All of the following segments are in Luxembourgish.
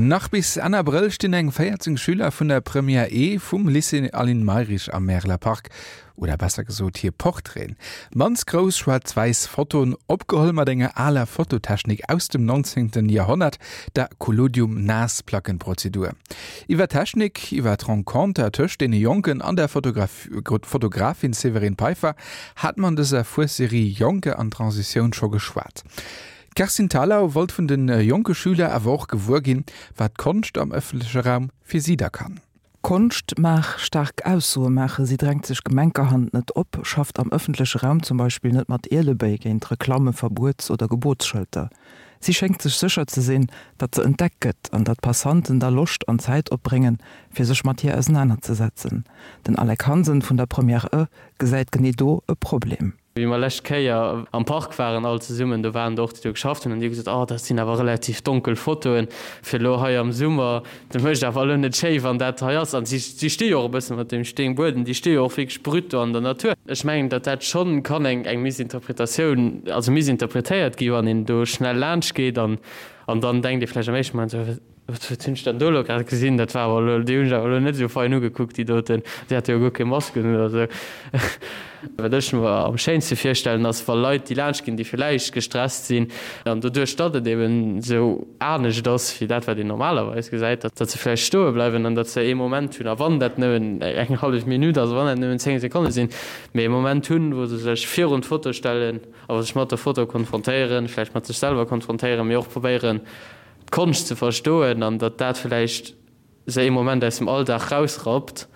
Nach bis Enn Abrëll stinn eng 14 Schüler vun der Première E vum Lycée Aline Mayrisch am Märeler Park, oder besser gesot hir Portraiten. Mannst grouss schwaarz-wäiss Fotoen, opgeholl mat enger aler Fototechnik aus dem 19. Joerhonnert, der Collodium-Naassplackenprozedur. Iwwer d'Technik, iwwer d'Renconter tëscht deene Jonken an der Fotografin Séverine Peiffer hat mer an dëser Fuesserie Jonker an Transitioun scho geschwat. D'Kerstin Thalau wollt vun de jonke Schüler awer och gewuer ginn, wat Konscht am ëffentleche Raum fir si da kann. Konscht mag staark Aussoe maachen, si drängt sech gemenkerhand net op, schafft am ëffentleche Raum zum Beispill net mat Ielebéi géint Reklamme, Verbuets oder Gebotsschëlter. Si schéngt sech sécher ze sinn, datt se entdeckt gëtt an datt Passanten da Loscht an Zäit opbréngen, fir sech mat hir ausenanerzesetzen. Den Alec Hansen vun der Première E gesäit genee do e Problem. Wéi mer lescht Kéier am Park waren all zesummen, do waren der och, déi do geschafft hunn, an déi hu gesot, Oh, dat sinn awer relativ donkel Fotoen fir elo hei am Summer. Dat mécht awer elo net schéi, wann dat hei ass. An si sti jo och e bësse mat deem Steenbuedem, déi sti jo och wierklech brut do an der Natur. Ech mengen, datt dat schonn kann eng eng Missinterpretatioun, also missinterpretéiert gi wann een do schnell laanscht geet an an dann denkt ee vläicht am éischte Moment esou, Wat hunn ech dann do elo grad gesinn? Dat war awer elo, déi hunn ech awer elo net esou fein ugekuckt, déi doten. Déi hate jo guer keng Masken un oder esou. Wat ech mer am schéinste virstellen, ass, wa Leit, déi laanscht ginn, déi villäicht gestresst sinn, an doduerch, datt et eben esou anescht ass wéi dat, wat een normalerweis gesäit, datt se vläicht stoe bleiwen an datt se ee Moment hunn, a wann dat nëmmen eng hallef Minutt ass, wann dat nëmmen 10 Sekonne sinn, mee ee Moment hunn, wou se sech virun d'Foto stellen a wou se sech mat der Foto konfrontéieren, vläicht mat sech selwer konfrontéieren, mee och probéieren, d'Konscht ze verstoen an datt dat vläicht se ee Moment aus dem Alldag rausrappt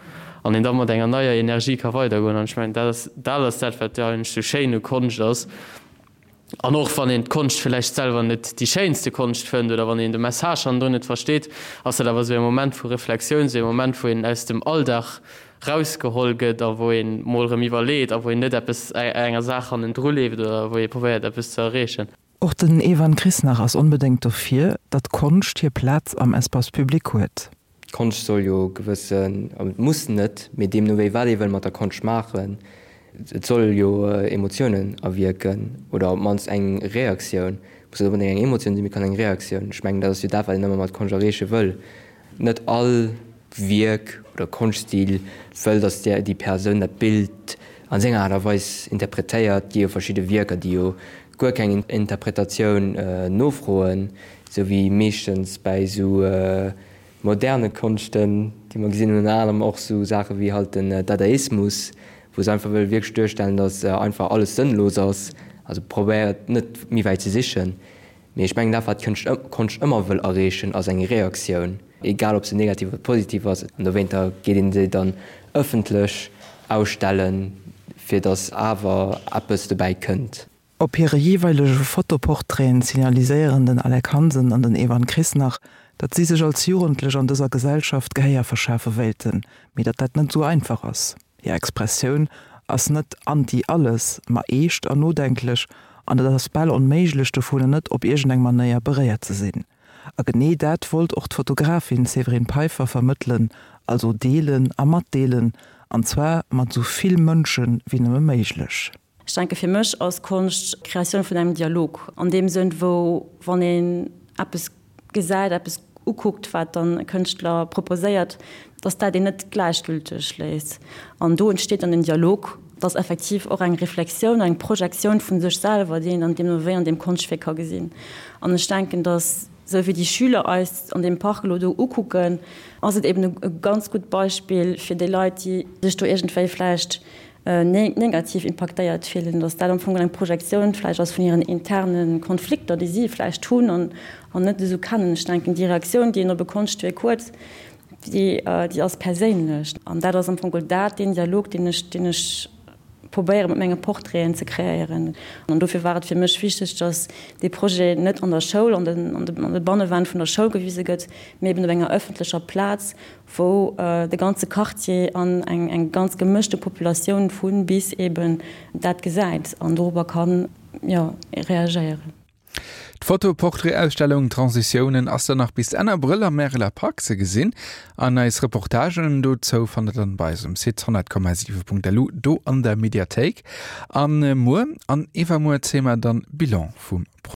an een da mat enger neier Energie ka weidergoen. An ech mengen, dat ass dat ass dat, wat jo eigentlech sou schéin u Konscht ass. An och wann een d'Konscht vläicht selwer net déi schéinste Konscht fënnt oder wann een de Message hannendrun net versteet, ass dat awer sou e Moment vu Reflexioun, sou e Moment, wou een aus dem Alldag rausgeholl gëtt a wou een mol erëm iwwerleet a wou een net eppes enger Saach hannendru leeft oder wou ee probéiert eppes ze erreechen. Och den Evan Chrisnach ass onbedéngt dofir, datt Konscht hir Plaz am Espace public huet. Konscht soll jo gewëssen, et muss net, mee deemno wéi wat ee wëll mat der Konscht maachen, et soll jo Emotiounen erwierken oder op d'mannst eng Reaktioun. Muss net onbedéngt eng Emotioun sinn, mee kann eng Reaktioun. Ech mengen, dat ass jo dat, wat een ëmmer mat Konscht erreeche wëll. Net all Wierk oder Konschtstil wëll, datt déi Persoun dat Bild a senger Aart a Weis interpretéiert. Et gi jo verschidde Wierker, déi jo guer keng Interpretatioun nofroen, esou wéi meeschtens bäi esou moderne Konschten, déi mer gesinn hunn, ënner anerem och esou Saache wéi halt den Dadaismus, wou se einfach wëlle wierklech duerstellen, datt einfach alles sënnlos ass, also probéiert net méi wäit ze sichen. Mee ech mengen, dat wat d'Konscht ëmmer wëll erreechen, ass eng Reaktioun, egal ob se negativ oder positiv ass. An dowéinter geet een se dann ëffentlech ausstellen, fir datt awer eppes dobäi kënnt. Op hire jeeweilege Fotoportraiten signaliséieren den Alec Hansen an den Evan Chrisnach, datt si sech als Jugendlech an dëser Gesellschaft Gehéier verschafe wéilten, mee datt dat net esou einfach ass. Hir Expressioun ass net anti-alles, ma eescht an nodenklech, an et ass bal onméiglech dovunner net op iergendeng Manéier beréiert ze sinn. A genee dat wollt och d'Fotografin Séverine Peiffer vermëttelen, also deelen a matdeelen, an zwar mat esou vill Mënsche wéi nëmme méiglech. Ech denke fir mech ass Konscht d'Kreatioun vun engem Dialog an deem Sënn, wou wann een eppes gesäit, eppes ukuckt, wat dann e Kënschtler proposéiert, dass dat een net gläichgülteg léisst. An do entsteet dann en Dialog, dass effektiv och eng Reflexioun, eng Projektioun vu sech selwer, déi een dann deemno wéi an deem Konschtwierk ka gesinn. An ech denken, dass esou wéi déi Schüler eis an deem Park elo do ukucken, ass et eben e ganz gutt Beispill fir déi Leit, déi sech do iergendwéi vläicht negativ impaktéiert fillen, datt dat am Fong eng Projektioun vläicht ass vun hiren interne Konflikter, déi si vläicht hunn an net esou kennen. Ech denken, déi Reaktioun, déi een op e Konschtwierk huet, déi ass perséinlech. An dat ass am Fong dat, deen Dialog, deen ech, deen ech probéiere mat menge Portraiten ze kreéieren. An dofir war et fir mech wichteg, datt dee Projet net an der Schoul, an de Bannewänn vun der Schoul gewise gëtt, mee eben op enger ëffentlecher Plaz, wou de ganze Quartier an eng ganz gemëschte Populatioun vu bis eben dat gesäit an dorobber kann, jo, reagéieren. D'Foto-Portrait-Ausstellung Transitiounen ass dann nach bis Enn Abrëll am Märeler Park ze gesinn an eis Reportagen dozou fannt der dann bei eis um Site 100,7.lu do an der Mediathéik. An muer an iwwermuer zéie mer dann Bilan vum Projet.